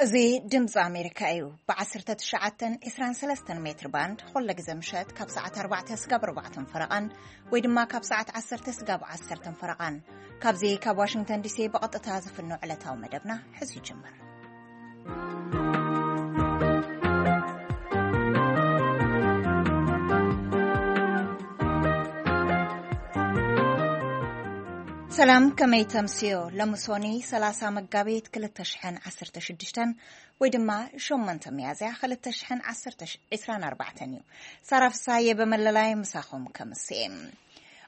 እዚ ድምፂ ኣሜሪካ እዩ። ብ19 23 ሜትር ባንድ፣ ኩለ ግዜ ምሸት ካብ ሰዓት 4 ስጋብ 4 ፈረቓን፣ ወይ ድማ ካብ ሰዓት 10 ስጋብ 10 ፈረቓን። ካብዚ ካብ ዋሽንግተን ዲሲ ብቐጥታ ዝፍኖ ዕለታዊ መደብና ሕዚ ይጅምር። ሰላም፣ ከመይ ተምስዮ? ሎሚ ሶኒ 30 መጋቢት 2016፣ ወይ ድማ 8 ሚያዝያ 2024 እዩ። ሳራ ፍሳየ በመለላይ ምሳኹም ከምስኤ።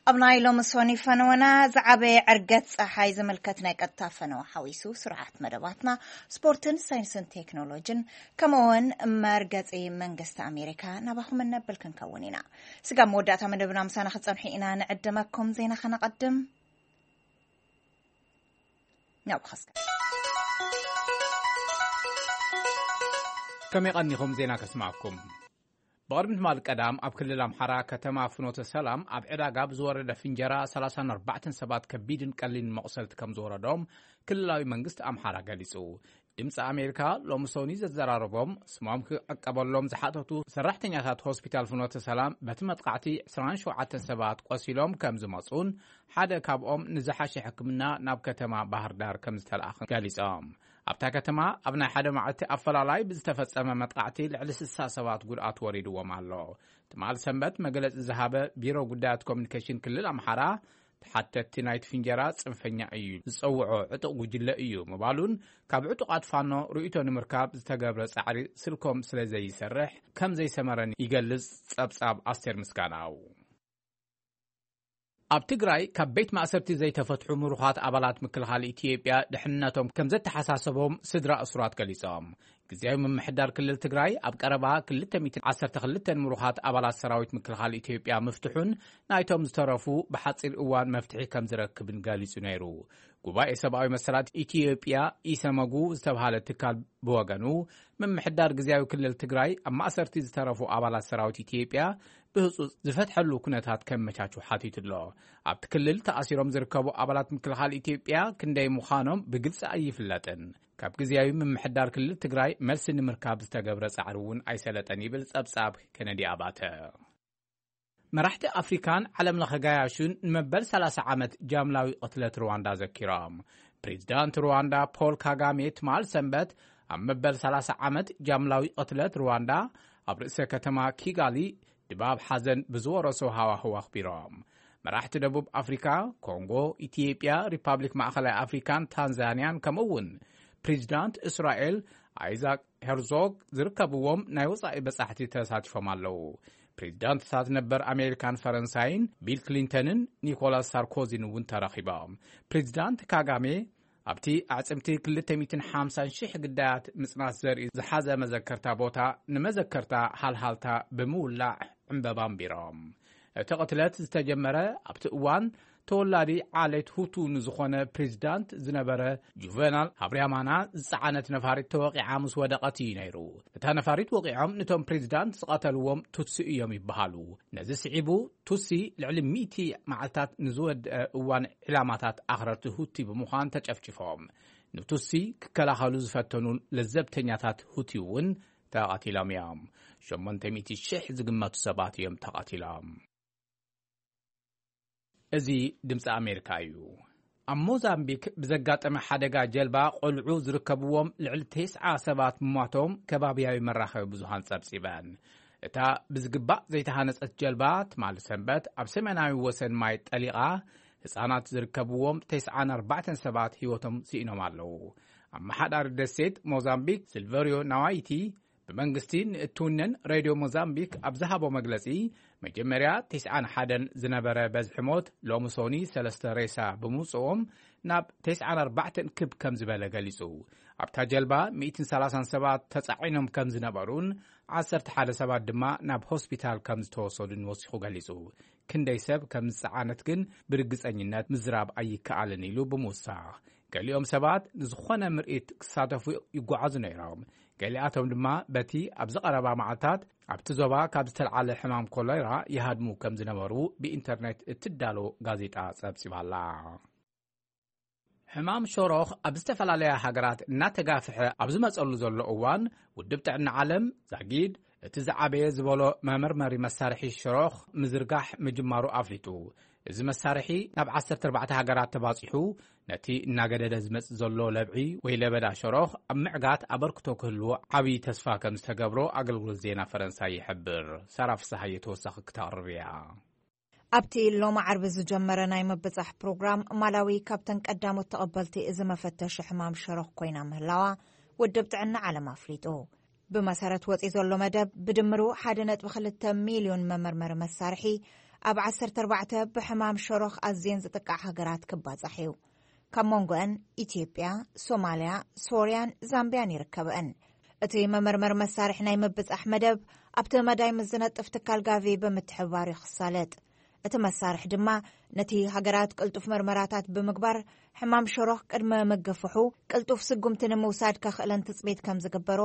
ኣብ ናይ ሎሚ ሶኒ ፈነወና ዝዓበየ ዕርገት ፀሓይ ዝምልከት ናይ ቀጥታ ፈነወ ሓዊሱ ስርዓት መደባትና፣ ስፖርትን ሳይንስን ቴክኖሎጂን፣ ከምኡውን መርገፂ መንግስቲ ኣሜሪካ ናባኹም እነብል ክንከውን ኢና። ስጋብ መወዳእታ መደብና ምሳና ክትጸንሑ ኢና ንዕድመኩም። ዜና ከነቐድም። ናብ ኸስከ ከመይ ቀኒኹም? ዜና ከስማዕኩም። ብቕድሚ ትማል ቀዳም ኣብ ክልል ኣምሓራ ከተማ ፍኖተ ሰላም ኣብ ዕዳጋ ብዝወረደ ፍንጀራ 34 ሰባት ከቢድን ቀሊልን መቑሰልቲ ከም ዝወረዶም ክልላዊ መንግስቲ ኣምሓራ ገሊጹ። ድምፂ ኣሜሪካ ሎሚ ሶኒ ዘዘራረቦም ስሞም ክዕቀበሎም ዝሓተቱ ሰራሕተኛታት ሆስፒታል ፍኖተ ሰላም በቲ መጥቃዕቲ 27 ሰባት ቆሲሎም ከም ዝመፁን ሓደ ካብኦም ንዝሓሸ ሕክምና ናብ ከተማ ባህር ዳር ከም ዝተለኣኸ ገሊፆም። ኣብታ ከተማ ኣብ ናይ ሓደ መዓልቲ ኣፈላላይ ብዝተፈጸመ መጥቃዕቲ ልዕሊ 60 ሰባት ጉድኣት ወሪድዎም ኣሎ። ትማል ሰንበት መግለጺ ዝሃበ ቢሮ ጉዳያት ኮሚኒኬሽን ክልል ኣምሓራ፣ ተሓተትቲ ናይቲ ፍንጀራ ጽንፈኛ እዩ ዝጸውዖ ዕጡቕ ጉጅለ እዩ ምባሉን፣ ካብ ዕጡቓት ፋኖ ርእይቶ ንምርካብ ዝተገብረ ጻዕሪ ስልኮም ስለ ዘይሰርሕ ከም ዘይሰመረን ይገልጽ ጸብጻብ ኣስቴር ምስጋናው። ኣብ ትግራይ ካብ ቤት ማእሰርቲ ዘይተፈትሑ ምሩኻት ኣባላት ምክልኻል ኢትዮጵያ ድሕንነቶም ከም ዘተሓሳሰቦም ስድራ እሱራት ገሊጾም። ግዝያዊ ምምሕዳር ክልል ትግራይ ኣብ ቀረባ 212 ምሩኻት ኣባላት ሰራዊት ምክልኻል ኢትዮጵያ ምፍትሑን ናይቶም ዝተረፉ ብሓጺር እዋን መፍትሒ ከም ዝረክብን ገሊጹ ነይሩ። ጉባኤ ሰብኣዊ መሰላት ኢትዮጵያ፣ ኢሰመጉ፣ ዝተብሃለ ትካል ብወገኑ፣ ምምሕዳር ግዝያዊ ክልል ትግራይ ኣብ ማእሰርቲ ዝተረፉ ኣባላት ሰራዊት ኢትዮጵያ ብህጹጽ ዝፈትሐሉ ኩነታት ከመቻቹ ሓቲቱ ኣሎ። ኣብቲ ክልል ተኣሲሮም ዝርከቡ ኣባላት ምክልኻል ኢትዮጵያ ክንደይ ምዃኖም ብግልጺ ኣይፍለጥን። ካብ ግዝያዊ ምምሕዳር ክልል ትግራይ መልሲ ንምርካብ ዝተገብረ ጻዕሪ እውን ኣይሰለጠን ይብል ጸብጻብ ኬነዲ ኣባተ። መራሕቲ ኣፍሪካን ዓለም ለኸ ጋያሹን ንመበል 30 ዓመት ጃምላዊ ቅትለት ሩዋንዳ ዘኪሮም። ፕሬዚዳንት ሩዋንዳ ፖል ካጋሜ ትማል ሰንበት ኣብ መበል 30 ዓመት ጃምላዊ ቅትለት ሩዋንዳ ኣብ ርእሰ ከተማ ኪጋሊ ድባብ ሓዘን ብዝወረሶ ሃዋህው ኣኽቢሮም። መራሕቲ ደቡብ ኣፍሪካ፣ ኮንጎ፣ ኢትዮጵያ፣ ሪፓብሊክ ማእኸላይ ኣፍሪካን ታንዛንያን፣ ከምኡ እውን ፕሬዚዳንት እስራኤል ኣይዛክ ሄርዞግ ዝርከብዎም ናይ ወጻኢ በጻሕቲ ተሳቲፎም ኣለዉ። ፕሬዚዳንትታት ነበር ኣሜሪካን ፈረንሳይን ቢል ክሊንተንን ኒኮላስ ሳርኮዚን እውን ተረኺቦም። ፕሬዚዳንት ካጋሜ ኣብቲ ኣዕጽምቲ 250,000 ግዳያት ምጽናት ዘርኢ ዝሓዘ መዘከርታ ቦታ ንመዘከርታ ሃልሃልታ ብምውላዕ ዕምበባ ኣንቢሮም። እቲ ቅትለት ዝተጀመረ ኣብቲ እዋን ተወላዲ ዓሌት ሁቱ ንዝኾነ ፕሬዚዳንት ዝነበረ ጁቨናል ሃብርያማና ዝጸዓነት ነፋሪት ተወቒዓ ምስ ወደቐት እዩ ነይሩ። እታ ነፋሪት ወቒዖም ነቶም ፕሬዚዳንት ዝቐተልዎም ቱትሲ እዮም ይበሃሉ። ነዚ ስዒቡ ቱትሲ ልዕሊ ሚእቲ መዓልታት ንዝወድአ እዋን ዕላማታት ኣኽረርቲ ሁቲ ብምዃን ተጨፍጭፎም። ንቱትሲ ክከላኸሉ ዝፈተኑ ለዘብተኛታት ሁቲ እውን ተቐቲሎም እዮም። 800,000 ዝግመቱ ሰባት እዮም ተቐቲሎም። እዚ ድምፂ ኣሜሪካ እዩ። ኣብ ሞዛምቢክ ብዘጋጠመ ሓደጋ ጀልባ ቆልዑ ዝርከብዎም ልዕሊ ተስዓ ሰባት ምሟቶም ከባብያዊ መራኸቢ ብዙሃን ጸብጺበን። እታ ብዝግባእ ዘይተሃነጸት ጀልባ ትማሊ ሰንበት ኣብ ሰሜናዊ ወሰን ማይ ጠሊቓ ህጻናት ዝርከብዎም 94 ሰባት ህይወቶም ስኢኖም ኣለዉ። ኣመሓዳሪ ደሴት ሞዛምቢክ ሲልቨሪዮ ናዋይቲ ብመንግስቲ ንእትውነን ሬድዮ ሞዛምቢክ ኣብ ዝሃቦ መግለጺ፣ መጀመርያ 91 ዝነበረ በዝሒ ሞት ሎሚ ሶኒ ሰለስተ ሬሳ ብምውጽኦም ናብ 94 ክብ ከም ዝበለ ገሊጹ። ኣብታ ጀልባ 130 ሰባት ተጻዒኖም ከም ዝነበሩን 11 ሰባት ድማ ናብ ሆስፒታል ከም ዝተወሰዱን ወሲኹ ገሊጹ። ክንደይ ሰብ ከም ዝጸዓነት ግን ብርግጸኝነት ምዝራብ ኣይከኣልን ኢሉ ብምውሳኽ፣ ገሊኦም ሰባት ንዝኾነ ምርኢት ክሳተፉ ይጓዓዙ ነይሮም። ገሊኣቶም ድማ በቲ ኣብዚ ቀረባ መዓልታት ኣብቲ ዞባ ካብ ዝተልዓለ ሕማም ኮሌራ ይሃድሙ ከም ዝነበሩ ብኢንተርኔት እትዳሎ ጋዜጣ ጸብጺባላ። ሕማም ሸሮኽ ኣብ ዝተፈላለያ ሃገራት እናተጋፍሐ ኣብ ዝመጸሉ ዘሎ እዋን፣ ውድብ ጥዕና ዓለም ዛጊድ እቲ ዝዓበየ ዝበሎ መመርመሪ መሳርሒ ሸሮኽ ምዝርጋሕ ምጅማሩ ኣፍሊጡ። እዚ መሳርሒ ናብ ዓሰርተ ኣርባዕተ ሃገራት ተባጺሑ፣ ነቲ እናገደደ ዝመጽእ ዘሎ ለብዒ ወይ ለበዳ ሸሮኽ ኣብ ምዕጋት ኣበርክቶ ክህልዎ ዓብዪ ተስፋ ከም ዝተገብሮ ኣገልግሎት ዜና ፈረንሳይ ይሕብር። ሳራ ፍስሃየ ተወሳኺ ክተቕርብ እያ። ኣብቲ ሎሚ ዓርቢ ዝጀመረ ናይ ምብጻሕ ፕሮግራም፣ ማላዊ ካብተን ቀዳሞት ተቐበልቲ እዚ መፈተሺ ሕማም ሸሮኽ ኮይና ምህላዋ ውድብ ጥዕና ዓለም ኣፍሊጡ። ብመሰረት ወጺኡ ዘሎ መደብ፣ ብድምሩ ሓደ ነጥቢ ክልተ ሚልዮን መመርመሪ መሳርሒ ኣብ ዓሰርተ ኣርባዕተ ብሕማም ሸሮኽ ኣዝየን ዝጥቃዕ ሃገራት ክባጻሕ እዩ። ካብ መንጎአን ኢትዮጵያ፣ ሶማልያ፣ ሶርያን ዛምቢያን ይርከብአን። እቲ መመርመሪ መሳርሒ ናይ ምብጻሕ መደብ ኣብቲ መዳይ ምስ ዝነጥፍ ትካል ጋቪ ብምትሕብባር እዩ ክሳለጥ። እቲ መሳርሒ ድማ ነቲ ሃገራት ቅልጡፍ መርመራታት ብምግባር፣ ሕማም ሸሮኽ ቅድመ ምግፍሑ ቅልጡፍ ስጉምቲ ንምውሳድ ከኽእለን ትጽቢት ከም ዝግበሮ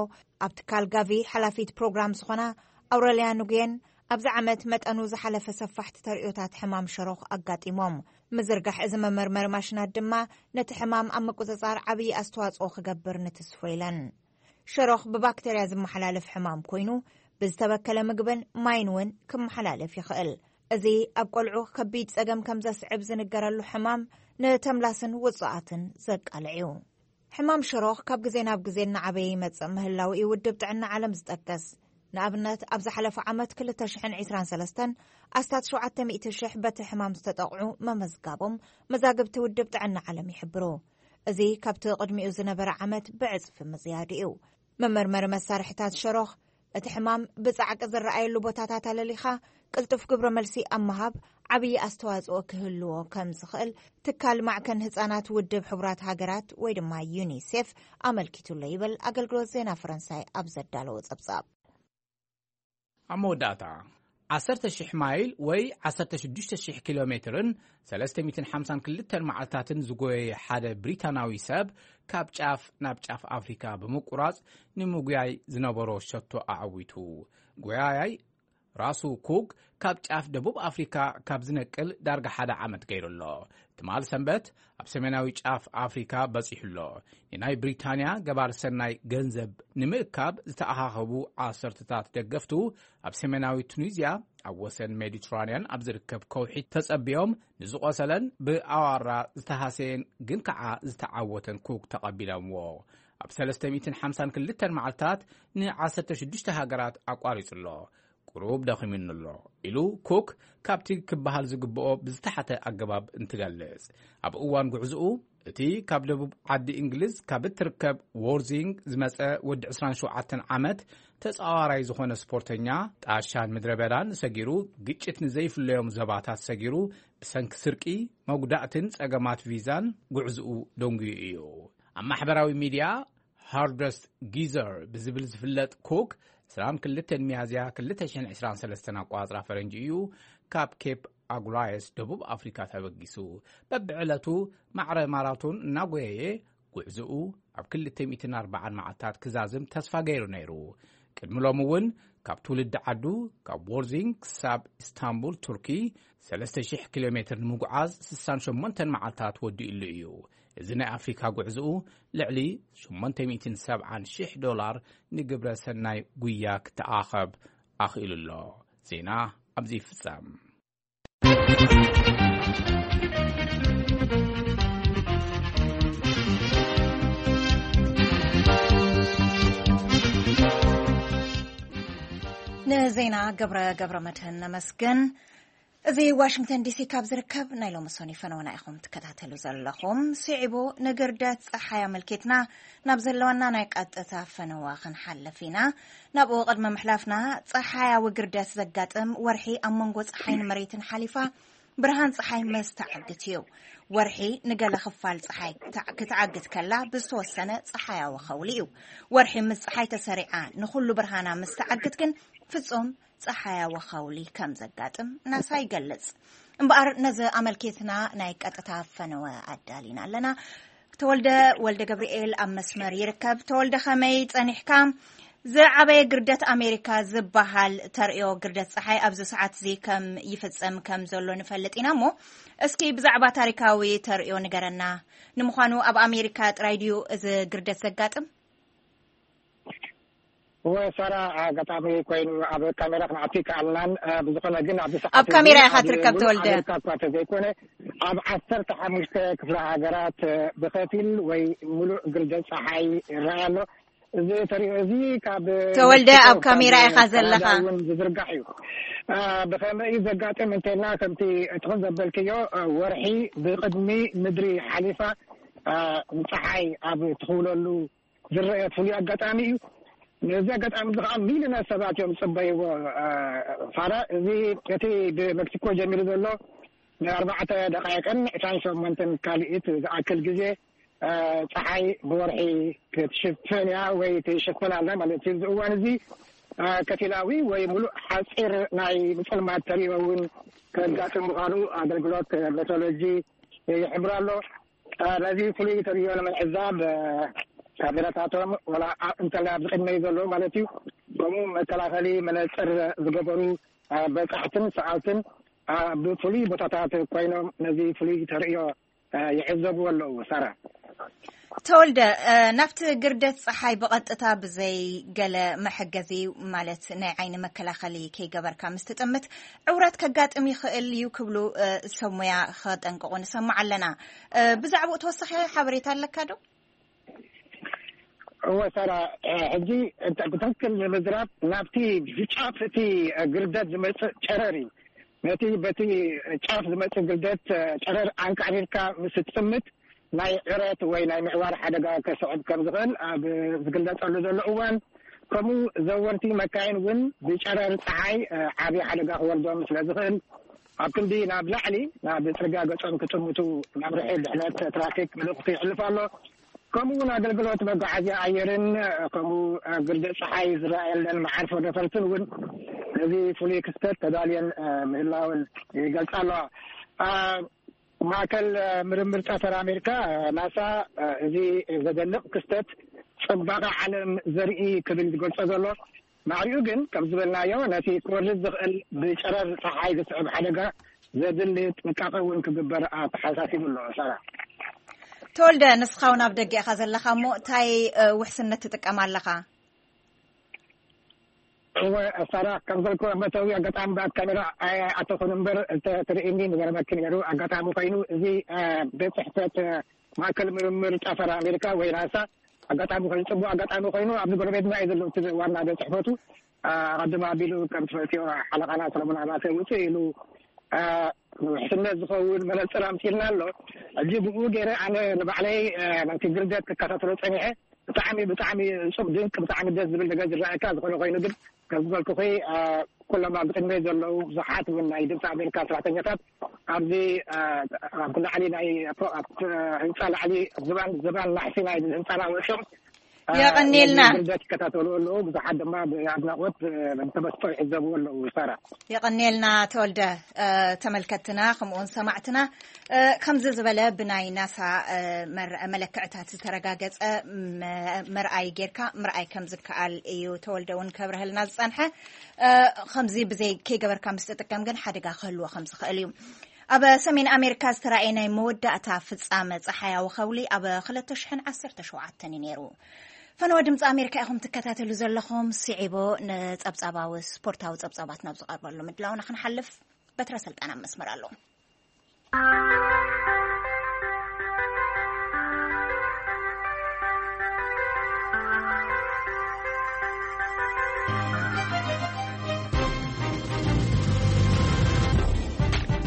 ኣብ ትካል ጋቪ ሓላፊት ፕሮግራም ዝኾና ኣውረልያ ንጉየን ኣብዚ ዓመት መጠኑ ዝሓለፈ ሰፋሕቲ ተርእዮታት ሕማም ሸሮኽ ኣጋጢሞም። ምዝርጋሕ እዚ መመርመሪ ማሽናት ድማ ነቲ ሕማም ኣብ ምቁጽጻር ዓብዪ ኣስተዋጽኦ ክገብር ንትስፎ ኢለን። ሸሮኽ ብባክተርያ ዝመሓላለፍ ሕማም ኮይኑ፣ ብዝተበከለ ምግብን ማይን እውን ክመሓላለፍ ይኽእል። እዚ ኣብ ቆልዑ ከቢድ ጸገም ከም ዘስዕብ ዝንገረሉ ሕማም፣ ንተምላስን ውጹኣትን ዘቃልዕ እዩ። ሕማም ሸሮኽ ካብ ግዜ ናብ ግዜ እናዓበየ ይመጽእ ምህላው እዩ ውድብ ጥዕና ዓለም ዝጠቅስ። ንኣብነት፣ ኣብ ዝሓለፈ ዓመት ክልተ ሽሕን ዕስራን ሰለስተን ኣስታት ሸውዓተ ሚእቲ ሽሕ በቲ ሕማም ዝተጠቕዑ መመዝጋቦም መዛግብቲ ውድብ ጥዕና ዓለም ይሕብሩ። እዚ ካብቲ ቅድሚኡ ዝነበረ ዓመት ብዕጽፊ ምዝያዱ እዩ። መመርመሪ መሳርሒታት ሸሮኽ፣ እቲ ሕማም ብጻዕቂ ዝረኣየሉ ቦታታት ኣለሊኻ ቅልጡፍ ግብረ መልሲ ኣብ ምሃብ ዓብዪ ኣስተዋጽኦ ክህልዎ ከም ዝኽእል ትካል ማዕከን ህጻናት ውድብ ሕቡራት ሃገራት ወይ ድማ ዩኒሴፍ ኣመልኪቱሎ ይብል ኣገልግሎት ዜና ፈረንሳይ ኣብ ዘዳለዎ ጸብጻብ። ኣብ መወዳእታ፣ ዓሰርተ ሽሕ ማይል ወይ ዓሰርተ ሽዱሽተ ሽሕ ኪሎ ሜትርን ሰለስተ ሚእትን ሓምሳን ክልተን መዓልታትን ዝጎየየ ሓደ ብሪታናዊ ሰብ፣ ካብ ጫፍ ናብ ጫፍ ኣፍሪካ ብምቁራጽ ንምጉያይ ዝነበሮ ሸቶ ኣዐዊቱ። ጎያያይ ራሱ ኩክ ካብ ጫፍ ደቡብ ኣፍሪካ ካብ ዝነቅል ዳርጋ ሓደ ዓመት ገይሩ ኣሎ። ትማል ሰንበት ኣብ ሰሜናዊ ጫፍ ኣፍሪካ በጺሑ ኣሎ። ንናይ ብሪታንያ ገባር ሰናይ ገንዘብ ንምእካብ ዝተኣኻኸቡ ዓሰርተታት ደገፍቱ፣ ኣብ ሰሜናዊ ቱኒዝያ ኣብ ወሰን ሜዲትራንያን ኣብ ዝርከብ ከውሒ ተጸቢዮም፣ ንዝቖሰለን ብኣዋራ ዝተሃሰየን ግን ከዓ ዝተዓወተን ኩክ ተቐቢሎምዎ። ኣብ ሰለስተ ሚእትን ሓምሳን ክልተን መዓልታት ን ዓሰርተ ሽዱሽተ ሃገራት ኣቋሪጹ ኣሎ። ቁሩብ ደኺሙኒ ኣሎ፣ ኢሉ ኩክ ካብቲ ክበሃል ዝግብኦ ብዝተሓተ ኣገባብ እንትገልጽ፣ ኣብ እዋን ጉዕዝኡ፣ እቲ ካብ ደቡብ ዓዲ እንግሊዝ ካብ እትርከብ ዎርዚንግ ዝመጸ ወዲ ዕስራን ሸውዓተን ዓመት ተጻዋራይ ዝኾነ ስፖርተኛ፣ ጣሻን ምድረ በዳን ሰጊሩ፣ ግጭት ንዘይፍለዮም ዞባታት ሰጊሩ፣ ብሰንኪ ስርቂ፣ መጉዳእትን ጸገማት ቪዛን ጉዕዝኡ ደንጉዩ እዩ። ኣብ ማሕበራዊ ሚድያ ሃርደስት ጊዘር ብዝብል ዝፍለጥ ኩክ፣ ዕስራን ክልተን ሚያዝያ ክልተ ሽሕን ዕስራን ሰለስተን ኣቆጻጽራ ፈረንጂ እዩ ካብ ኬፕ ኣጉላየስ ደቡብ ኣፍሪካ ተበጊሱ። በብዕለቱ ማዕረ ማራቶን እናጎየየ፣ ጉዕዝኡ ኣብ ክልተ ሚእትን ኣርባዓን መዓልታት ክዛዝም ተስፋ ገይሩ ነይሩ። ቅድሚ ሎሚ እውን ካብ ትውልዲ ዓዱ፣ ካብ ዎርዚንግ ክሳብ ኢስታንቡል ቱርኪ፣ ሰለስተ ሽሕ ኪሎ ሜትር ንምጉዓዝ ስሳን ሸሞንተን መዓልታት ወዲኡሉ እዩ። እዚ ናይ ኣፍሪካ ጉዕዝኡ፣ ልዕሊ ሸሞንተ ሚእትን ሰብዓን ሽሕ ዶላር ንግብረ ሰናይ ጉያ ክተኣኸብ ኣኽኢሉ ኣሎ። ዜና ኣብዚ ይፍጸም። ንዜና ገብረ፣ ገብረ መድህን ነመስግን። እዚ ዋሽንግተን ዲሲ ካብ ዝርከብ ናይ ሎሚ ሶኒ ፈነወና ኢኹም ትከታተሉ ዘለኹም። ስዒቡ ንግርደት ጸሓይ ኣመልኪትና ናብ ዘለወና ናይ ቀጥታ ፈነዋ ክንሓልፍ ኢና። ናብኡ ቅድሚ ምሕላፍና፣ ጸሓያዊ ግርደት ዘጋጥም ወርሒ ኣብ መንጎ ጸሓይን መሬትን ሓሊፋ ብርሃን ጸሓይ ምስ ተዓግት እዩ። ወርሒ ንገለ ክፋል ጸሓይ ክተዓ-፣ ክትዓግት ከላ ብዝተወሰነ ጸሓያዊ ኸውሊ እዩ። ወርሒ ምስ ጸሓይ ተሰሪዓ ንኹሉ ብርሃና ምስ ተዓግት ግን ፍጹም ጸሓያዊ ኸውሊ ከም ዘጋጥም ናሳ ይገልጽ። እምበኣር ነዚ ኣመልኪትና ናይ ቀጥታ ፈነወ ኣዳሊና ኣለና። ተወልደ ወልደ ገብርኤል ኣብ መስመር ይርከብ። ተወልደ፣ ከመይ ጸኒሕካ? ዝዓበየ ግርደት ኣሜሪካ ዝበሃል ተርእዮ ግርደት ፀሓይ ኣብዚ ሰዓት እዚ ከም ይፍጸም ከም ዘሎ ንፈልጥ ኢና። እሞ እስኪ ብዛዕባ ታሪካዊ ተርእዮ ንገረና። ንምዃኑ ኣብ ኣሜሪካ ጥራይ ድዩ እዚ ግርደት ዘጋጥም? ወሳራ ኣጋጣሚ ኮይኑ ኣብ ካሜራ ክንኣቱ ይከኣልናን። ብዝኾነ ግን ኣብዚ ሰዓት ኣብ ካሜራ ኢኻ ትርከብ ተወልደ። እኳ ተዘይኮነ ኣብ ዓሰርተ ሓሙሽተ ክፍለ ሃገራት ብኸፊል ወይ ሙሉእ ግርደት ፀሓይ ይረኣይ ኣሎ። እዚ ተሪኦ እዚ ካብ ተወልደ ኣብ ካሜራ ኢኻ ዘለኻ። እውን ዝዝርጋሕ እዩ። ብኸመይ እዩ ዘጋጥም እንተልና ከምቲ ትኹን ዘበልክዮ፣ ወርሒ ብቅድሚ ምድሪ ሓሊፋ ፀሓይ ኣብ ትኽውለሉ ዝረአ ፍሉይ ኣጋጣሚ እዩ። ነዚ ኣጋጣሚ እዚ ከዓ ሚሊዮናት ሰባት እዮም ዝፅበይዎ። ፋራ፣ እዚ እቲ ብመክሲኮ ጀሚሩ ዘሎ ንኣርባዕተ ደቃይቅን ዕስራን ሸሞንተን ካልኢት ዝኣክል ግዜ ፀሓይ ብወርሒ ክትሽፈን እያ ወይ ትሽፈን ኣላ ማለት እዩ። እዚ እዋን እዚ ከፊላዊ ወይ ሙሉእ ሓፂር ናይ ምፅልማት ተሪኦ እውን ከጋጥም ምዃኑ ኣገልግሎት ሜትሮሎጂ ይሕብር ኣሎ። ነዚ ፍሉይ ተሪኦ ንምዕዛብ ካሜራታቶም ወላ እንተላይ ኣብዚ ቅድመይ ዘለዉ ማለት እዩ፣ ከምኡ መከላኸሊ መነፅር ዝገበሩ በፃሕትን ሰኣልትን ብፍሉይ ቦታታት ኮይኖም ነዚ ፍሉይ ተርእዮ ይዕዘብዎ ኣለዉ። ሳራ። ተወልደ፣ ናብቲ ግርደት ፀሓይ ብቐጥታ ብዘይ ገለ መሐገዚ፣ ማለት ናይ ዓይኒ መከላኸሊ ከይገበርካ ምስ ትጥምት ዕውራት ከጋጥም ይኽእል እዩ ክብሉ ሰብ ሞያ ከጠንቅቑ ንሰምዕ ኣለና። ብዛዕባኡ ተወሳኺ ሓበሬታ ኣለካ ዶ? እወ ሳራ፣ ሕጂ ብትክክል ንምዝራብ ናብቲ ብጫፍ እቲ ግርደት ዝመፅእ ጨረር እዩ። ነቲ በቲ ጫፍ ዝመፅእ ግርደት ጨረር ኣንቃዕሪርካ ምስ ትጥምት ናይ ዕረት ወይ ናይ ምዕዋር ሓደጋ ከስዕብ ከም ዝኽእል ኣብ ዝግለፀሉ ዘሎ እዋን፣ ከምኡ ዘወርቲ መካይን እውን ብጨረር ፀሓይ ዓብዪ ሓደጋ ክወርዶም ስለ ዝኽእል ኣብ ክንዲ ናብ ላዕሊ ናብ ፅርግያ ገፆም ክጥምቱ መምርሒ ድሕነት ትራፊክ መልእኽቲ ይሕልፍ ኣሎ። ከምኡ እውን ኣገልግሎት መጓዓዝያ ኣየርን ከምኡ ግርደት ፀሓይ ዝረኣየለን መዓርፎ ነፈርትን እውን ነዚ ፍሉይ ክስተት ተዳልየን ምህላውን ይገልፃ ኣለዋ። ማእከል ምርምር ጠፈር ኣሜሪካ ናሳ እዚ ዘደንቕ ክስተት ፅባቐ ዓለም ዘርኢ ክብል ዝገልፆ ዘሎ ማዕሪኡ ግን ከም ዝበልናዮ ነቲ ክወርድ ዝኽእል ብጨረር ፀሓይ ዝስዕብ ሓደጋ ዘድሊ ጥንቃቐ እውን ክግበር ኣተሓሳሲቡ ኣሎ። ሳራ። ተወልደ፣ ንስኻ እውን ኣብ ደገ ኢኻ ዘለኻ እሞ እንታይ ውሕስነት ትጥቀም ኣለኻ? እወ ሳራ፣ ከም ዘልኮ መእተዊ ኣጋጣሚ ብኣካሜራ ኣተኹን እምበር እንተትርእኒ ምገረመኪ ነይሩ። ኣጋጣሚ ኮይኑ እዚ ቤት ፅሕፈት ማእከል ምርምር ጠፈር ኣሜሪካ ወይ ናሳ ኣጋጣሚ ኮይኑ ፅቡቅ ኣጋጣሚ ኮይኑ ኣብዚ ጎረቤትና እዩ ዘሎ እቲ ዋና ቤት ፅሕፈቱ። ኣቐድም ኣቢሉ ከም ትፈልጥዮ ሓለቓና ሰለሞን ኣባተ ውፅእ ኢሉ ውሕስነት ዝኸውን መነፅር ኣምፂልና ኣሎ። ሕጂ ብኡ ገይረ ኣነ ንባዕለይ ነቲ ግርደት ክከታተሎ ፀኒሐ። ብጣዕሚ ብጣዕሚ እፁብ ድንቅ ብጣዕሚ ደስ ዝብል ነገር ዝረኣየካ። ዝኾነ ኮይኑ ግን ከም ዝበልኩኺ ኩሎም ኣብ ቅድመይ ዘለዉ ብዙሓት እውን ናይ ድምፂ ኣሜሪካ ሰራሕተኛታት ኣብዚ ኣብ ላዕሊ ናይ ህንፃ ላዕሊ ዝባን ዝባን ናሕሲ ናይ ህንፃና ወፅኦም የቐኔልና። ግርደት ይከታተሉ ኣለዉ። ብዙሓት ድማ ብኣድናቆት ብተመስጦ ይዕዘብዎ ኣለዉ። ሳራ። የቐኔልና ተወልደ። ተመልከትና ከምኡውን ሰማዕትና ከምዚ ዝበለ ብናይ ናሳ መለክዕታት ዝተረጋገፀ መርኣይ ጌርካ ምርኣይ ከም ዝከኣል እዩ ተወልደ እውን ከብረሀልና ዝፀንሐ። ከምዚ ብዘይ ከይገበርካ ምስ ትጥቀም ግን ሓደጋ ክህልዎ ከም ዝኽእል እዩ። ኣብ ሰሜን ኣሜሪካ ዝተራእየ ናይ መወዳእታ ፍጻመ ጸሓያዊ ከውሊ ኣብ ክልተ ሽሕን ዓሰርተ ሸውዓተን እዩ ነይሩ። ፈነወ ድምፂ ኣሜሪካ ኢኹም ትከታተሉ ዘለኹም። ስዒቦ ንጸብጻባዊ ስፖርታዊ ጸብጻባት ናብ ዝቐርበሉ ምድላውና ክንሓልፍ በትረ ስልጣን ኣብ መስመር ኣሎ።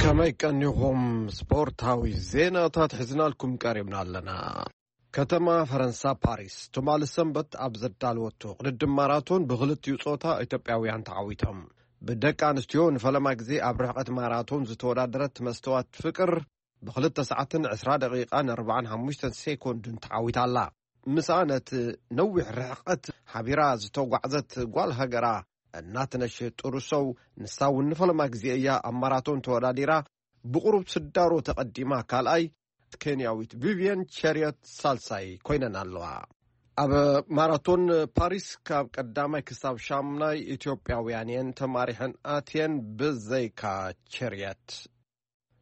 ከመይ ቀኒኹም? ስፖርታዊ ዜናታት ሒዝናልኩም ቀሪብና ኣለና። ከተማ ፈረንሳ ፓሪስ ትማሊ ሰንበት ኣብ ዘዳለወቶ ቅድድም ማራቶን ብክልቲኡ ጾታ ኢትዮጵያውያን ተዓዊቶም። ብደቂ ኣንስትዮ ንፈለማ ግዜ ኣብ ርሕቀት ማራቶን ዝተወዳደረት መስተዋት ፍቅር ብክልተ ሰዓትን ዕስራ ደቂቃን ኣርባዓን ሓሙሽተን ሴኮንድን ተዓዊታ ኣላ። ምስኣ ነቲ ነዊሕ ርሕቀት ሓቢራ ዝተጓዕዘት ጓል ሃገራ እናትነሽ ጥሩሶው፣ ንሳ እውን ንፈለማ ግዜ እያ ኣብ ማራቶን ተወዳዲራ፣ ብቁሩብ ስዳሮ ተቐዲማ ካልኣይ፣ ኬንያዊት ቪቪየን ቸርዮት ሳልሳይ ኮይነን ኣለዋ። ኣብ ማራቶን ፓሪስ ካብ ቀዳማይ ክሳብ ሻምናይ ኢትዮጵያውያን እየን ተማሪሐን ኣትየን ብዘይካ ቸርየት።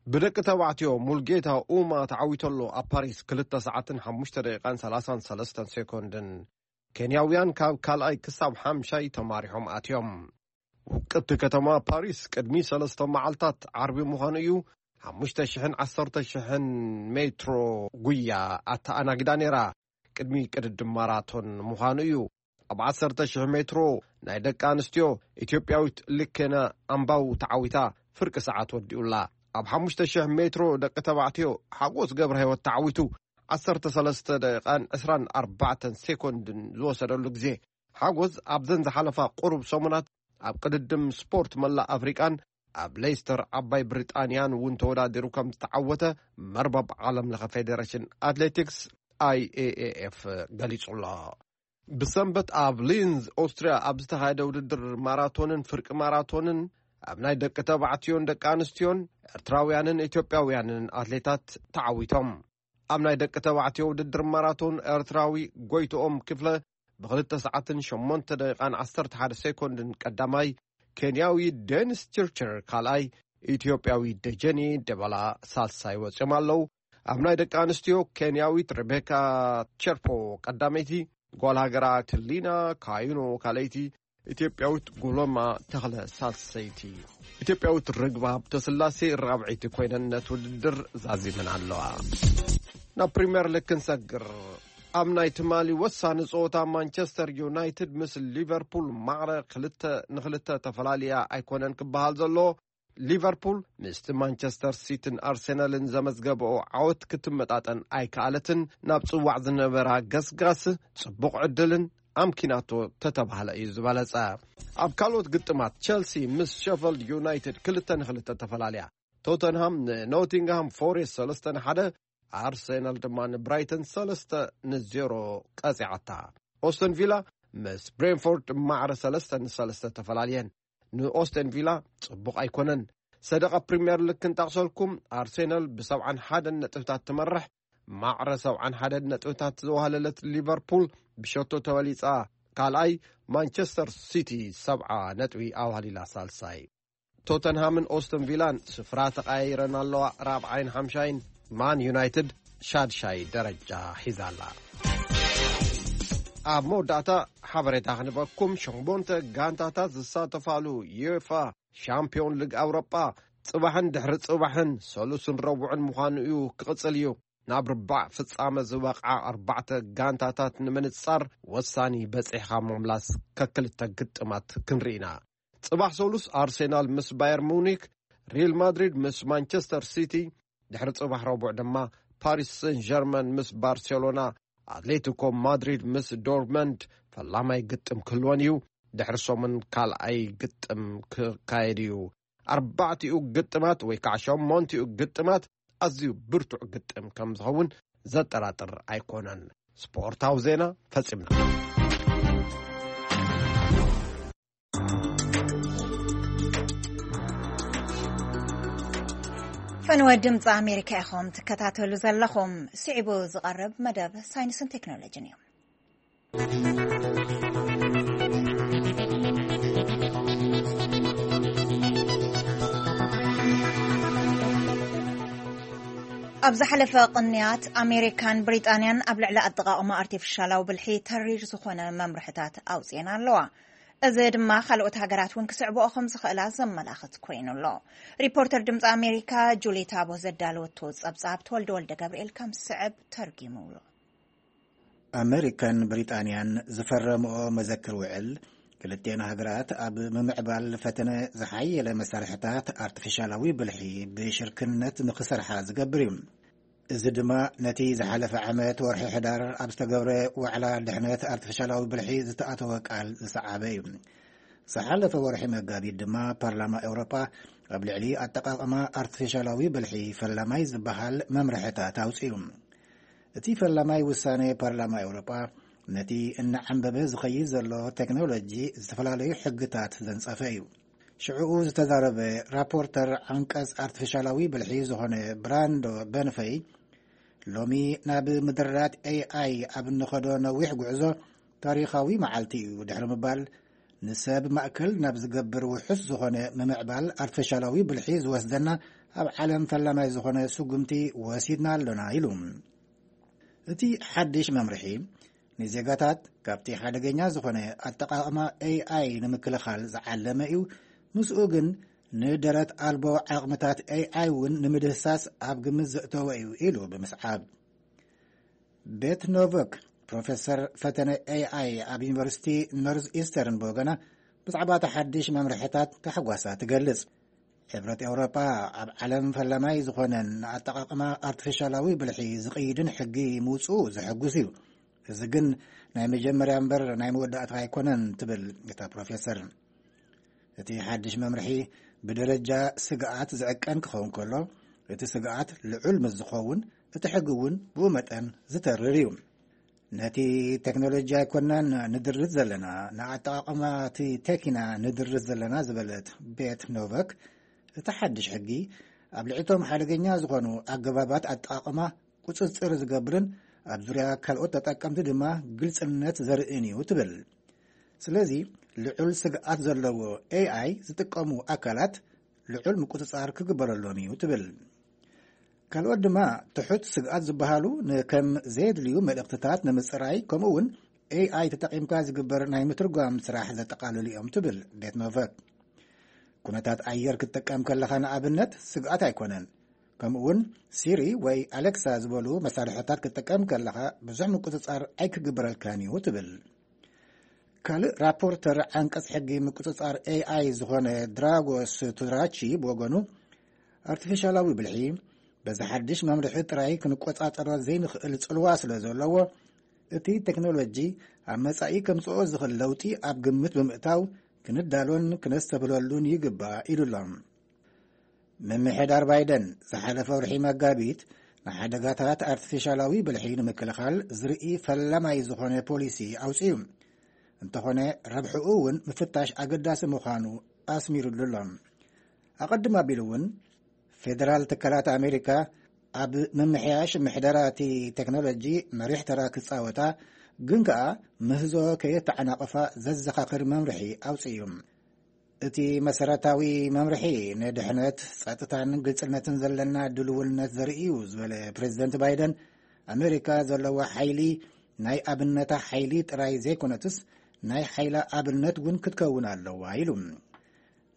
ብደቂ ተባዕትዮ ሙልጌታ ኡማ ተዓዊተሎ ኣብ ፓሪስ ክልተ ሰዓትን ሓሙሽተ ደቂቃን ሰላሳን ሰለስተን ሴኮንድን። ኬንያውያን ካብ ካልኣይ ክሳብ ሓምሻይ ተማሪሖም ኣትዮም። ውቅብቲ ከተማ ፓሪስ ቅድሚ ሰለስተ መዓልታት ዓርቢ ምዃኑ እዩ ሓሙሽተ ሽሕን ዓሰርተ ሽሕን ሜትሮ ጉያ ኣተኣናጊዳ ነይራ። ቅድሚ ቅድድም ማራቶን ምዃኑ እዩ። ኣብ ዓሰርተ ሽሕ ሜትሮ ናይ ደቂ ኣንስትዮ ኢትዮጵያዊት ልኬና ኣምባው ተዓዊታ ፍርቂ ሰዓት ወዲኡላ። ኣብ ሓሙሽተ ሽሕ ሜትሮ ደቂ ተባዕትዮ ሓጎስ ገብረ ህይወት ተዓዊቱ ዓሰርተ ሰለስተ ደቂቃን ዕስራን ኣርባዕተን ሴኮንድን ዝወሰደሉ ግዜ። ሓጎስ ኣብዘን ዝሓለፋ ቁሩብ ሰሙናት ኣብ ቅድድም ስፖርት መላእ ኣፍሪቃን ኣብ ሌስተር ዓባይ ብሪጣንያን እውን ተወዳዲሩ ከም ዝተዓወተ መርበብ ዓለም ለኸ ፌዴሬሽን ኣትሌቲክስ፣ ኣይኤኤኤፍ፣ ገሊጹ ኣሎ። ብሰንበት ኣብ ሊንዝ ኦስትሪያ ኣብ ዝተኻየደ ውድድር ማራቶንን ፍርቂ ማራቶንን ኣብ ናይ ደቂ ተባዕትዮን ደቂ ኣንስትዮን ኤርትራውያንን ኢትዮጵያውያንን ኣትሌታት ተዓዊቶም። ኣብ ናይ ደቂ ተባዕትዮ ውድድር ማራቶን ኤርትራዊ ጎይትኦም ክፍለ ብክልተ ሰዓትን ሸሞንተ ደቂቃን ዓሰርተ ሓደ ሴኮንድን ቀዳማይ፣ ኬንያዊ ዴኒስ ችርችር ካልኣይ፣ ኢትዮጵያዊ ደጀኔ ደበላ ሳልሳይ ወጺኦም ኣለዉ። ኣብ ናይ ደቂ ኣንስትዮ ኬንያዊት ሬቤካ ቸርፖ ቀዳመይቲ፣ ጓል ሃገራ ክሊና ካዩኖ ካልኣይቲ፣ ኢትዮጵያዊት ጎሎማ ተኽለ ሳልሰይቲ፣ ኢትዮጵያዊት ርግብ ሃብተስላሴ ራብዐይቲ ኮይነን ነቲ ውድድር ዛዚመን ኣለዋ። ናብ ፕሪምየር ሊግ ክንሰግር። ኣብ ናይ ትማሊ ወሳኒ ጸወታ ማንቸስተር ዩናይትድ ምስ ሊቨርፑል ማዕረ ክልተ ንክልተ ተፈላልያ ኣይኮነን ክበሃል ዘሎ። ሊቨርፑል ምስቲ ማንቸስተር ሲቲን ኣርሴናልን ዘመዝገበኦ ዓወት ክትመጣጠን ኣይከኣለትን። ናብ ጽዋዕ ዝነበራ ገስጋስ ጽቡቕ ዕድልን ኣምኪናቶ ተተባህለ እዩ ዝበለጸ። ኣብ ካልኦት ግጥማት ቸልሲ ምስ ሸፈልድ ዩናይትድ ክልተ ንክልተ ተፈላልያ። ቶተንሃም ንኖቲንግሃም ፎሬስት ሰለስተ ንሓደ፣ ኣርሴናል ድማ ንብራይተን ሰለስተ ንዜሮ ቀጺዓታ። ኦስተን ቪላ ምስ ብሬንፎርድ ማዕረ ሰለስተ ንሰለስተ ተፈላልየን። ንኦስተን ቪላ ጽቡቕ ኣይኮነን። ሰደቓ ፕሪምየር ሊግ ክንጠቕሰልኩም፣ ኣርሴናል ብሰብዓን ሓደን ነጥብታት ትመርሕ። ማዕረ ሰብዓን ሓደን ነጥብታት ዘዋህለለት ሊቨርፑል ብሸቶ ተበሊጻ ካልኣይ፣ ማንቸስተር ሲቲ ሰብዓ ነጥቢ ኣዋህሊላ ሳልሳይ። ቶተንሃምን ኦስተን ቪላን ስፍራ ተቐያይረን ኣለዋ፣ ራብዓይን ሓምሻይን። ማን ዩናይትድ ሻድሻይ ደረጃ ሒዛ ኣላ። ኣብ መወዳእታ ሓበሬታ ክንበኩም፣ ሸሞንተ ጋንታታት ዝሳተፋሉ ዩኤፋ ሻምፒዮን ሊግ ኣውሮጳ ጽባሕን ድሕሪ ጽባሕን ሰሉስን ረቡዕን ምዃኑ እዩ ክቕጽል እዩ። ናብ ርባዕ ፍጻመ ዝበቕዓ ኣርባዕተ ጋንታታት ንምንጻር ወሳኒ በጺሕኻ ምምላስ ከክልተ ግጥማት ክንርኢ ኢና። ጽባሕ ሰሉስ ኣርሴናል ምስ ባየር ሙኒክ፣ ሪል ማድሪድ ምስ ማንቸስተር ሲቲ፣ ድሕሪ ጽባሕ ረቡዕ ድማ ፓሪስ ሰን ጀርመን ምስ ባርሴሎና፣ ኣትሌቲኮ ማድሪድ ምስ ዶርትመንድ ፈላማይ ግጥም ክህልወን እዩ። ድሕሪ ሰሙን ካልኣይ ግጥም ክካየድ እዩ። ኣርባዕቲኡ ግጥማት ወይ ከዓ ሸሞንቲኡ ግጥማት ኣዝዩ ብርቱዕ ግጥም ከም ዝኸውን ዘጠራጥር ኣይኮነን። ስፖርታዊ ዜና ፈጺምና። ፈነወ ድምፂ ኣሜሪካ ኢኹም ትከታተሉ ዘለኹም። ስዒቡ ዝቐርብ መደብ ሳይንስን ቴክኖሎጂን እዩ። ኣብ ዝሓለፈ ቅንያት ኣሜሪካን ብሪጣንያን ኣብ ልዕሊ ኣጠቓቕማ ኣርቲፊሻላዊ ብልሒ ተሪር ዝኾነ መምርሕታት ኣውፅኤን ኣለዋ። እዚ ድማ ካልኦት ሃገራት እውን ክስዕብኦ ከም ዝኽእላ ዘመላኽት ኮይኑ ኣሎ። ሪፖርተር ድምፂ ኣሜሪካ ጁሊ ታቦ ዘዳለወቶ ጸብጻብ ተወልደ ወልደ ገብርኤል ከም ዝስዕብ ተርጊሙ ኣሎ። ኣመሪካን ብሪጣንያን ዝፈረምኦ መዘክር ውዕል፣ ክልቲኤን ሃገራት ኣብ ምምዕባል ፈተነ ዝሓየለ መሳርሕታት ኣርቲፊሻላዊ ብልሒ ብሽርክነት ንኽሰርሓ ዝገብር እዩ። እዚ ድማ ነቲ ዝሓለፈ ዓመት ወርሒ ሕዳር ኣብ ዝተገብረ ዋዕላ ድሕነት ኣርቲፊሻላዊ ብልሒ ዝተኣተወ ቃል ዝሰዓበ እዩ። ዝሓለፈ ወርሒ መጋቢት ድማ ፓርላማ ኤውሮጳ ኣብ ልዕሊ ኣጠቓቕማ ኣርቲፊሻላዊ ብልሒ ፈላማይ ዝበሃል መምርሕታት ኣውጺኡ። እቲ ፈላማይ ውሳኔ ፓርላማ ኤውሮጳ ነቲ እናዓንበበ ዝኸይድ ዘሎ ቴክኖሎጂ ዝተፈላለዩ ሕግታት ዘንጸፈ እዩ። ሽዕኡ ዝተዛረበ ራፖርተር ዓንቀጽ ኣርቲፊሻላዊ ብልሒ ዝኾነ ብራንዶ በንፈይ፣ ሎሚ ናብ ምድራት ኤኣይ ኣብ እንኸዶ ነዊሕ ጉዕዞ ታሪኻዊ መዓልቲ እዩ ድሕሪ ምባል፣ ንሰብ ማእከል ናብ ዝገብር ውሑስ ዝኾነ ምምዕባል ኣርቲፊሻላዊ ብልሒ ዝወስደና ኣብ ዓለም ፈላማይ ዝኾነ ስጉምቲ ወሲድና ኣሎና ኢሉ። እቲ ሓድሽ መምርሒ ንዜጋታት ካብቲ ሓደገኛ ዝኾነ ኣጠቓቕማ ኤኣይ ንምክልኻል ዝዓለመ እዩ። ምስኡ ግን ንደረት ኣልቦ ዓቕምታት ኤኣይ እውን ንምድህሳስ ኣብ ግምት ዘእተወ እዩ ኢሉ ብምስዓብ። ቤት ኖቨክ ፕሮፌሰር ፈተነ ኤኣይ ኣብ ዩኒቨርሲቲ ኖርዝ ኢስተርን ብወገና ብዛዕባ እቲ ሓድሽ መምርሕታት ታሕጓሳ ትገልጽ። ሕብረት ኤውሮጳ ኣብ ዓለም ፈላማይ ዝኾነን ንኣጠቓቕማ ኣርቲፊሻላዊ ብልሒ ዝቕይድን ሕጊ ምውፅኡ ዘሐጉስ እዩ። እዚ ግን ናይ መጀመርያ እምበር ናይ መወዳእታ ኣይኮነን ትብል እታ ፕሮፌሰር። እቲ ሓድሽ መምርሒ ብደረጃ ስግኣት ዝዕቀን ክኸውን ከሎ፣ እቲ ስግኣት ልዑል ምስ ዝኸውን፣ እቲ ሕጊ እውን ብኡ መጠን ዝተርር እዩ። ነቲ ቴክኖሎጂ ኣይኮናን ንድርት ዘለና፣ ንኣጠቓቕማ እቲ ቴኪና ንድርት ዘለና ዝበለት ቤት ኖቨክ፣ እቲ ሓድሽ ሕጊ ኣብ ልዕቶም ሓደገኛ ዝኾኑ ኣገባባት ኣጠቓቕማ ቁጽጽር ዝገብርን ኣብ ዙርያ ካልኦት ተጠቀምቲ ድማ ግልጽነት ዘርእን እዩ ትብል። ስለዚ ልዑል ስግኣት ዘለዎ ኤኣይ ዝጥቀሙ ኣካላት ልዑል ምቁጽጻር ክግበረሎም እዩ ትብል። ካልኦት ድማ ትሑት ስግኣት ዝበሃሉ ንከም ዘየድልዩ መልእኽትታት ንምጽራይ፣ ከምኡ እውን ኤኣይ ተጠቒምካ ዝግበር ናይ ምትርጓም ስራሕ ዘጠቓልሉ እዮም ትብል ቤት ኖቨክ። ኩነታት ኣየር ክትጥቀም ከለኻ ንኣብነት ስግኣት ኣይኮነን። ከምኡ እውን ሲሪ ወይ ኣሌክሳ ዝበሉ መሳርሕታት ክትጥቀም ከለኻ ብዙሕ ምቁጽጻር ኣይክግበረልካን እዩ ትብል። ካልእ ራፖርተር ዓንቀጽ ሕጊ ምቁጽጻር ኤኣይ ዝኾነ ድራጎስ ቱራቺ ብወገኑ፣ ኣርቲፊሻላዊ ብልሒ በዚ ሓድሽ መምርሒ ጥራይ ክንቆጻጸሮ ዘይንኽእል ጽልዋ ስለ ዘለዎ፣ እቲ ቴክኖሎጂ ኣብ መጻኢ ከምጽኦ ዝኽእል ለውጢ ኣብ ግምት ብምእታው ክንዳሎን ክነስተብህለሉን ይግባእ ኢሉ ኣሎ። ምምሕዳር ባይደን ዝሓለፈ ወርሒ መጋቢት ንሓደጋታት ኣርቲፊሻላዊ ብልሒ ንምክልኻል ዝርኢ ፈላማይ ዝኾነ ፖሊሲ ኣውጺኡ። እንተኾነ ረብሕኡ እውን ምፍታሽ ኣገዳሲ ምዃኑ ኣስሚሩሉ ኣሎ። ኣቐድም ኣቢሉ እውን ፌደራል ትካላት ኣሜሪካ ኣብ ምምሕያሽ ምሕደራ እቲ ቴክኖሎጂ መሪሕ ተራ ክጻወታ፣ ግን ከኣ ምህዞ ከየተዓናቕፋ ዘዘኻኽር መምርሒ ኣውጺኡ። እቲ መሰረታዊ መምርሒ ንድሕነት፣ ጸጥታን ግልጽነትን ዘለና ድልውነት ዘርኢ እዩ ዝበለ ፕሬዚደንት ባይደን፣ ኣሜሪካ ዘለዋ ሓይሊ ናይ ኣብነታ ሓይሊ ጥራይ ዘይኮነትስ ናይ ሓይላ ኣብነት እውን ክትከውን ኣለዋ ኢሉ።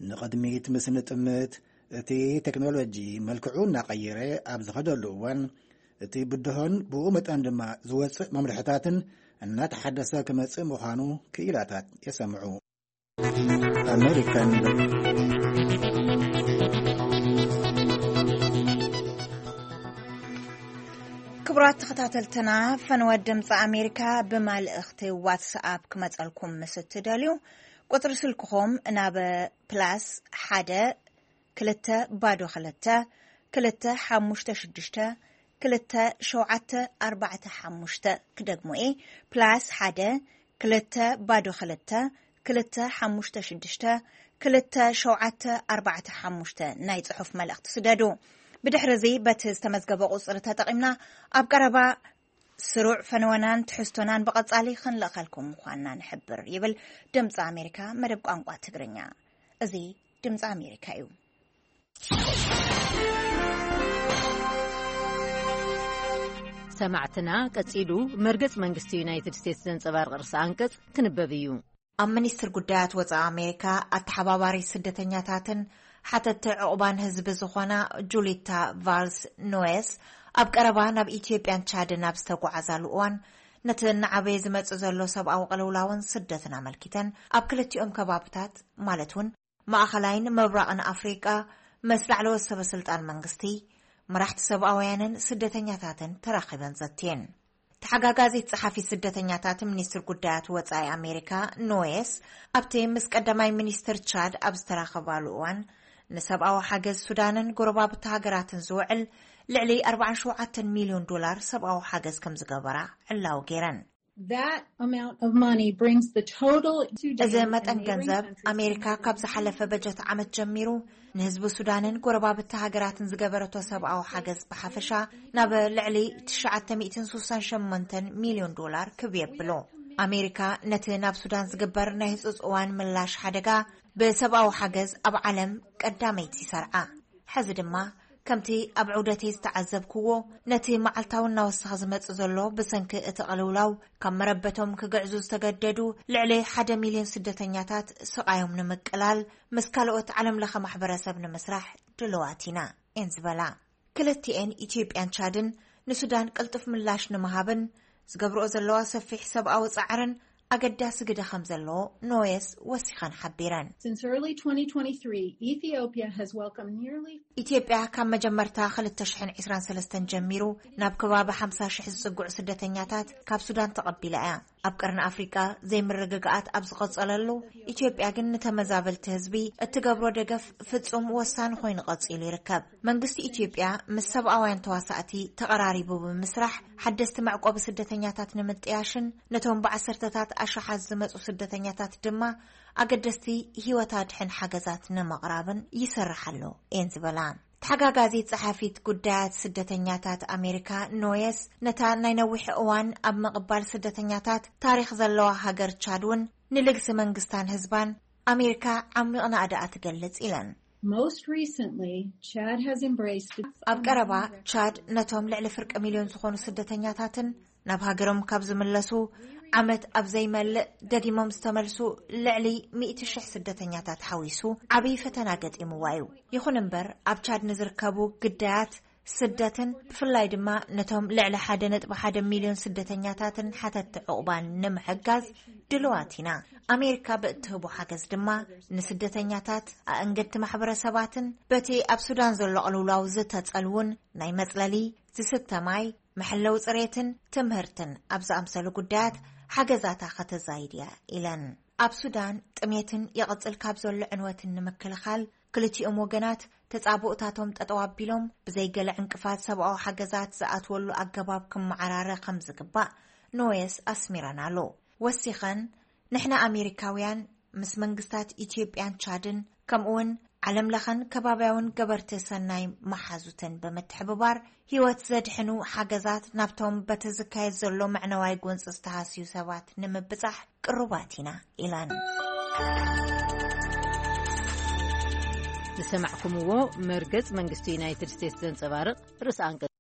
ንቕድሚት ምስ ንጥምት፣ እቲ ቴክኖሎጂ መልክዑ እናቐየረ ኣብ ዝኸደሉ እዋን፣ እቲ ብድሆን ብኡ መጠን ድማ ዝወጽእ መምርሕታትን እናተሓደሰ ክመጽእ ምዃኑ ክኢላታት የሰምዑ። ኣሜሪካን ክቡራት ተኸታተልትና፣ ፈንወ ድምፂ ኣሜሪካ ብመልእኽቲ ዋትስኣፕ ክመፀልኩም ምስ እትደልዩ፣ ቁፅሪ ስልክኹም ናብ ፕላስ ሓደ ክልተ ባዶ ክልተ ክልተ ሓሙሽተ ሽዱሽተ ክልተ ሸውዓተ ኣርባዕተ ሓሙሽተ፣ ክደግሞ እየ፣ ፕላስ ሓደ ክልተ ባዶ ክልተ ክልተ ሓሙሽተ ሽዱሽተ ክልተ ሸውዓተ ኣርባዕተ ሓሙሽተ ናይ ጽሑፍ መልእኽቲ ስደዱ። ብድሕሪ እዚ በቲ ዝተመዝገበ ቁጽሪ ተጠቒምና ኣብ ቀረባ ስሩዕ ፈነወናን ትሕዝቶናን ብቐጻሊ ክንልእኸልኩም ምዃንና ንሕብር፣ ይብል ድምጺ ኣሜሪካ መደብ ቋንቋ ትግርኛ። እዚ ድምጺ ኣሜሪካ እዩ። ሰማዕትና፣ ቀጺሉ መርገጽ መንግስቲ ዩናይትድ ስቴትስ ዘንጸባርቕ ርእሰ ኣንቀጽ ክንበብ እዩ። ኣብ ሚኒስትር ጉዳያት ወጻኢ ኣሜሪካ ኣተሓባባሪ ስደተኛታትን ሓተቲ ዕቑባን ህዝቢ ዝኾና ጁሊታ ቫልስ ኖየስ፣ ኣብ ቀረባ ናብ ኢትዮጵያን ቻድን ኣብ ዝተጓዓዛሉ እዋን፣ ነቲ እናዓበየ ዝመጽእ ዘሎ ሰብኣዊ ቅልውላውን ስደትን ኣመልኪተን፣ ኣብ ክልቲኦም ከባብታት፣ ማለት እውን ማእኸላይን ምብራቕን ኣፍሪቃ፣ ምስ ላዕለዎት ሰበ ስልጣን መንግስቲ፣ መራሕቲ ሰብኣውያንን ስደተኛታትን ተራኺበን ዘትየን። ተሓጋጋዚት ጸሓፊ ስደተኛታት ሚኒስትር ጉዳያት ወጻኢ ኣሜሪካ ኖየስ፣ ኣብቲ ምስ ቀዳማይ ሚኒስትር ቻድ ኣብ ዝተራኸባሉ እዋን፣ ንሰብኣዊ ሓገዝ ሱዳንን ጎረባብቲ ሃገራትን ዝውዕል ልዕሊ ኣርባዓን ሸውዓተን ሚልዮን ዶላር ሰብኣዊ ሓገዝ ከም ዝገበራ ዕላዊ ገይረን። That amount of money brings the total to እዚ Sudan መጠን and neighboring ገንዘብ countries to ኣሜሪካ ካብ ዝሓለፈ በጀት ዓመት ጀሚሩ ንህዝቢ ሱዳንን ጎረባብቲ ሃገራትን ዝገበረቶ ሰብኣዊ ሓገዝ ብሓፈሻ ናብ ልዕሊ ትሽዓተ ሚእትን ስሳን ሸሞንተን ሚልዮን ዶላር ክብ የብሎ። ኣሜሪካ ነቲ ናብ ሱዳን ዝግበር ናይ ህጹጽ እዋን ምላሽ ሓደጋ ብሰብኣዊ ሓገዝ ኣብ ዓለም ቀዳመይቲ ይሰርዓ። ሕዚ ድማ ከምቲ ኣብ ዑደተይ ዝተዓዘብክዎ፣ ነቲ መዓልታዊ እናወሰኸ ዝመጽእ ዘሎ ብሰንኪ እቲ ቅልውላው ካብ መረበቶም ክግዕዙ ዝተገደዱ ልዕሊ ሓደ ሚልዮን ስደተኛታት ስቓዮም ንምቅላል ምስ ካልኦት ዓለም ለኸ ማሕበረሰብ ንምስራሕ ድልዋት ኢና እየን ዝበላ። ክልቲኤን ኢትዮጵያን ቻድን ንሱዳን ቅልጡፍ ምላሽ ንምሃብን ዝገብርኦ ዘለዋ ሰፊሕ ሰብኣዊ ጻዕርን ኣገዳሲ ግደ ከም ዘለዎ ኖየስ ወሲኸን ሓቢረን። Since early twenty twenty-three, Ethiopia has welcomed nearly ኢትዮጵያ ካብ መጀመርታ ክልተ ሽሕን ዕስራን ሰለስተን ጀሚሩ ናብ ከባቢ ሓምሳ ሽሕ ዝጽግዑ ስደተኛታት ካብ ሱዳን ተቐቢላ እያ። ኣብ ቀርኒ ኣፍሪቃ ዘይምርግጋኣት ኣብ ዝቐጸለሉ፣ ኢትዮጵያ ግን ንተመዛበልቲ ህዝቢ እትገብሮ ደገፍ ፍጹም ወሳኒ ኮይኑ ቀጺሉ ይርከብ። መንግስቲ ኢትዮጵያ ምስ ሰብኣውያን ተዋሳእቲ ተቐራሪቡ ብምስራሕ፣ ሓደስቲ መዕቆቢ ስደተኛታት ንምጥያሽን ነቶም ብዓሰርተታት ኣሽሓት ዝመጹ ስደተኛታት ድማ ኣገደስቲ ህይወት ኣድሕን ሓገዛት ንምቕራብን ይሰርሕ ኣሎ እየን ዝበላ። ተሓጋጋዚት ጸሓፊት ጉዳያት ስደተኛታት ኣሜሪካ ኖየስ፣ ነታ ናይ ነዊሕ እዋን ኣብ ምቕባል ስደተኛታት ታሪኽ ዘለዋ ሃገር ቻድ እውን ንልግሲ መንግስታን ህዝባን ኣሜሪካ ዓሚቕ ናእዳኣ ትገልጽ ኢለን። Most recently, Chad has embraced ኣብ ቀረባ ቻድ ነቶም ልዕሊ ፍርቂ ሚልዮን ዝኾኑ ስደተኛታትን ናብ ሃገሮም ካብ ዝምለሱ ዓመት ኣብ ዘይመልእ ደጊሞም ዝተመልሱ ልዕሊ ሚእቲ ሽሕ ስደተኛታት ሓዊሱ ዓብዪ ፈተና ገጢምዋ እዩ። ይኹን እምበር ኣብ ቻድ ንዝርከቡ ግዳያት ስደትን ብፍላይ ድማ ነቶም ልዕሊ ሓደ ነጥቢ ሓደ ሚልዮን ስደተኛታትን ሓተትቲ ዕቑባን ንምሕጋዝ ድልዋት ኢና። ኣሜሪካ ብእትህቦ ሓገዝ ድማ ንስደተኛታት፣ ኣእንገድቲ ማሕበረሰባትን በቲ ኣብ ሱዳን ዘሎ ቅልውላው ዝተጸልዉን ናይ መጽለሊ፣ ዝስተ ማይ፣ መሐለዊ ጽሬትን ትምህርትን ኣብ ዝኣምሰሉ ጉዳያት ሓገዛታ ከተዛይድ እያ ኢለን። ኣብ ሱዳን ጥሜትን ይቕጽል ካብ ዘሎ ዕንወትን ንምክልኻል ክልቲኦም ወገናት ተጻብኦታቶም ጠጠው ኣቢሎም ብዘይገለ ዕንቅፋት ሰብኣዊ ሓገዛት ዝኣትወሉ ኣገባብ ክመዓራረ ከም ዝግባእ ኖየስ ኣስሚረናሉ። ወሲኸን፣ ንሕና ኣሜሪካውያን ምስ መንግስታት ኢትዮጵያን ቻድን ከምኡውን ዓለም ለኸን ከባብያውን ገበርቲ ሰናይ መሓዙትን ብምትሕብባር ህይወት ዘድሕኑ ሓገዛት ናብቶም በቲ ዝካየድ ዘሎ መዕነዋይ ጎንፂ ዝተሃስዩ ሰባት ንምብጻሕ ቅሩባት ኢና ኢለን። ዝሰማዕኩምዎ መርገጽ መንግስቲ ዩናይትድ ስቴትስ ዘንጸባርቕ ርእሰ ኣንቀጽ።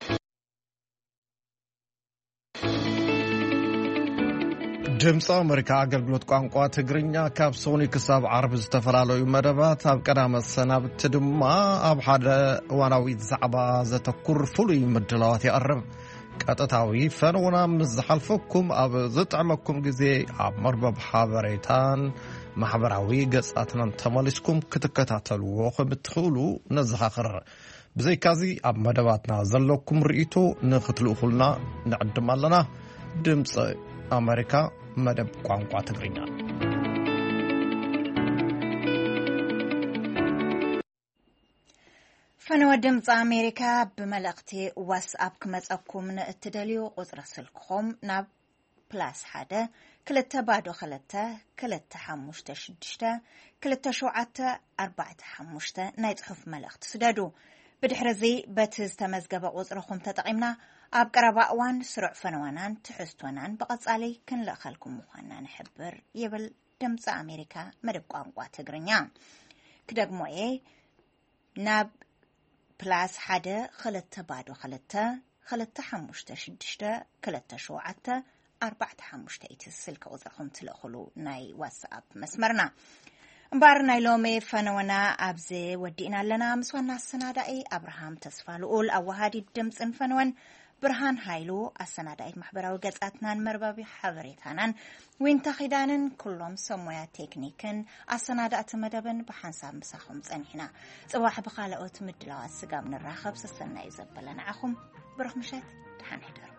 ድምፂ ኣሜሪካ ኣገልግሎት ቋንቋ ትግርኛ ካብ ሶኒ ክሳብ ዓርቢ ዝተፈላለዩ መደባት፣ ኣብ ቀዳመ ሰናብቲ ድማ ኣብ ሓደ እዋናዊ ዛዕባ ዘተኩር ፍሉይ ምድላዋት የቕርብ። ቀጥታዊ ፈነውና ምስ ዝሓልፈኩም ኣብ ዝጥዕመኩም ግዜ ኣብ መርበብ ሓበሬታን ማሕበራዊ ገጻትናን ተመሊስኩም ክትከታተልዎ ከም እትኽእሉ ነዘኻኽር። ብዘይካዚ ኣብ መደባትና ዘለኩም ርእይቶ ንኽትልእኹልና ንዕድም ኣለና። ድምፂ ኣሜሪካ መደብ ቋንቋ ትግርኛ። ፈነወ ድምፂ ኣሜሪካ ብመልእኽቲ ዋትስኣፕ ክመፀኩም ንእትደልዩ ቁፅሪ ስልክኹም ናብ ፕላስ ሓደ ክልተ ባዶ ክልተ ክልተ ሓሙሽተ ሽዱሽተ ክልተ ሸውዓተ ኣርባዕተ ሓሙሽተ ናይ ጽሑፍ መልእኽቲ ስደዱ። ብድሕሪ እዚ በቲ ዝተመዝገበ ቁጽርኹም ተጠቒምና ኣብ ቀረባ እዋን ስሩዕ ፈነወናን ትሕዝቶናን ብቐጻሊ ክንልእኸልኩም ምዃንና ንሕብር ይብል ድምፂ ኣሜሪካ መደብ ቋንቋ ትግርኛ። ክደግሞ እየ። ናብ ፕላስ ሓደ ክልተ ባዶ ክልተ ክልተ ሓሙሽተ ሽዱሽተ ክልተ ሸውዓተ ኣርባዕተ ሓሙሽተ እቲ ስልኪ ቁጽርኹም ትልእኹሉ ናይ ዋትስኣፕ መስመርና። እምበኣር ናይ ሎሚ ፈነወና ኣብዚ ወዲእና ኣለና። ምስ ዋና ኣሰናዳኢ ኣብርሃም ተስፋ ልኡል፣ ኣወሃዲት ድምጽን ፈነወን ብርሃን ሃይሉ፣ ኣሰናዳኢት ማሕበራዊ ገጻትናን መርበብ ሓበሬታናን ዊንታ ኺዳንን ኩሎም ሰብ ሞያ ቴክኒክን ኣሰናዳእቲ መደብን ብሓንሳብ ምሳኹም ጸኒሕና። ጽባሕ ብኻልኦት ምድላዋት ስጋብ ንራኸብ ሰሰናዩ ዘበለ ንዓኹም። ብሩኽ ምሸት፣ ደሓን ሕደሩ።